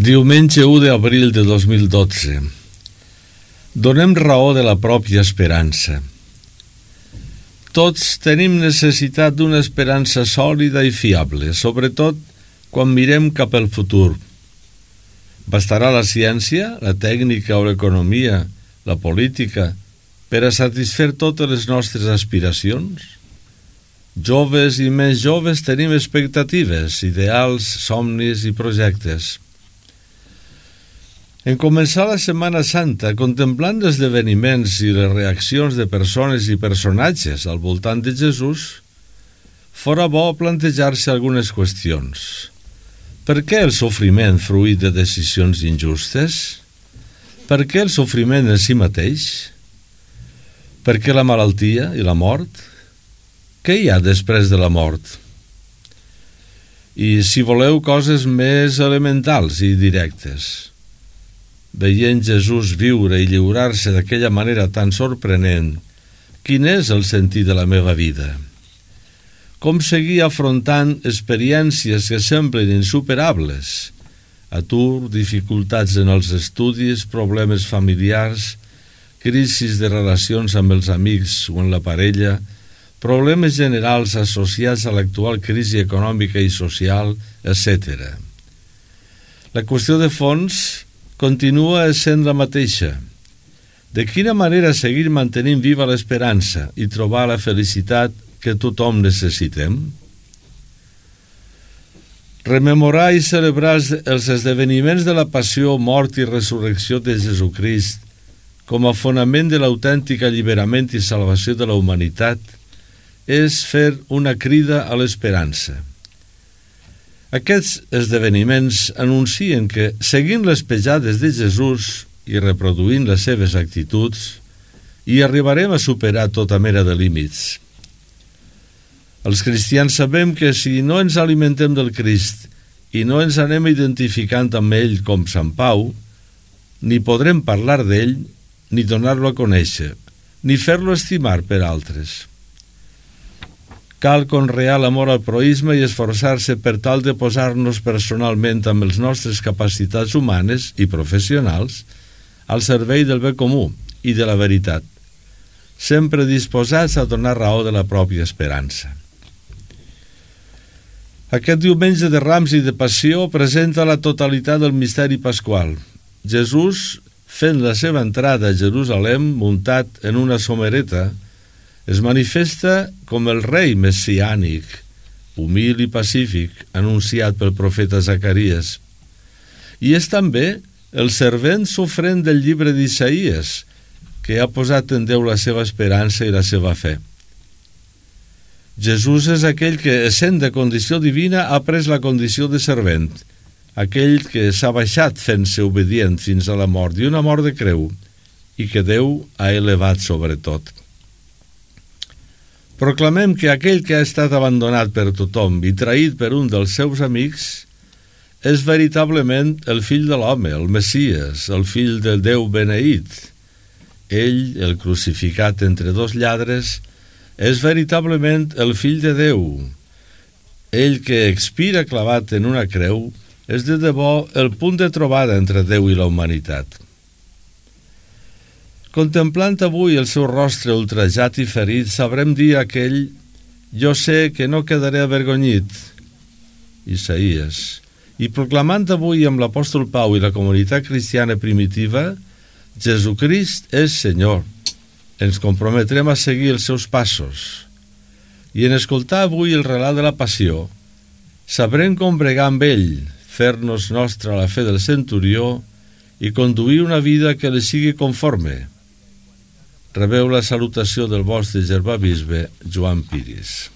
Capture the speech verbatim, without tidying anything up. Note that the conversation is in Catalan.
Diumenge u d'abril de dos mil dotze. Donem raó de la pròpia esperança. Tots tenim necessitat d'una esperança sòlida i fiable, sobretot quan mirem cap al futur. Bastarà la ciència, la tècnica o l'economia, la política, per a satisfer totes les nostres aspiracions? Joves i més joves tenim expectatives, ideals, somnis i projectes. En començar la Setmana Santa, contemplant els esdeveniments i les reaccions de persones i personatges al voltant de Jesús, fora bo plantejar-se algunes qüestions. Per què el sofriment fruit de decisions injustes? Per què el sofriment en si mateix? Per què la malaltia i la mort? Què hi ha després de la mort? I si voleu coses més elementals i directes, veient Jesús viure i lliurar-se d'aquella manera tan sorprenent, quin és el sentit de la meva vida? Com seguir afrontant experiències que semblen insuperables? Atur, dificultats en els estudis, problemes familiars, crisis de relacions amb els amics o amb la parella, problemes generals associats a l'actual crisi econòmica i social, etcètera. La qüestió de fons continua essent la mateixa. De quina manera seguir mantenint viva l'esperança i trobar la felicitat que tothom necessitem? Rememorar i celebrar els esdeveniments de la passió, mort i resurrecció de Jesucrist com a fonament de l'autèntic alliberament i salvació de la humanitat és fer una crida a l'esperança. Aquests esdeveniments anuncien que, seguint les pejades de Jesús i reproduint les seves actituds, hi arribarem a superar tota mena de límits. Els cristians sabem que si no ens alimentem del Crist i no ens anem identificant amb ell com Sant Pau, ni podrem parlar d'ell, ni donar-lo a conèixer, ni fer-lo estimar per altres. Cal conrear l'amor al proïsme i esforçar-se per tal de posar-nos personalment amb les nostres capacitats humanes i professionals al servei del bé comú i de la veritat, sempre disposats a donar raó de la pròpia esperança. Aquest diumenge de Rams i de Passió presenta la totalitat del misteri pasqual. Jesús, fent la seva entrada a Jerusalem muntat en una somereta, es manifesta com el rei messiànic, humil i pacífic, anunciat pel profeta Zacaries. I és també el servent sofrent del llibre d'Isaïes, que ha posat en Déu la seva esperança i la seva fe. Jesús és aquell que, essent de condició divina, ha pres la condició de servent, aquell que s'ha baixat fent-se obedient fins a la mort, i una mort de creu, i que Déu ha elevat sobre tot. Proclamem que aquell que ha estat abandonat per tothom i traït per un dels seus amics és veritablement el fill de l'home, el Messies, el fill del Déu beneït. Ell, el crucificat entre dos lladres, és veritablement el fill de Déu. Ell que expira clavat en una creu és de debò el punt de trobada entre Déu i la humanitat. Contemplant avui el seu rostre ultrajat i ferit, sabrem dir a aquell: «Jo sé que no quedaré avergonyit», Isaïes. I proclamant avui amb l'apòstol Pau i la comunitat cristiana primitiva, Jesucrist és Senyor. Ens comprometrem a seguir els seus passos. I en escoltar avui el relat de la passió, sabrem com bregar amb ell, fer-nos nostra la fe del centurió i conduir una vida que li sigui conforme. Rebeu la salutació del vostre germà bisbe Joan Piris.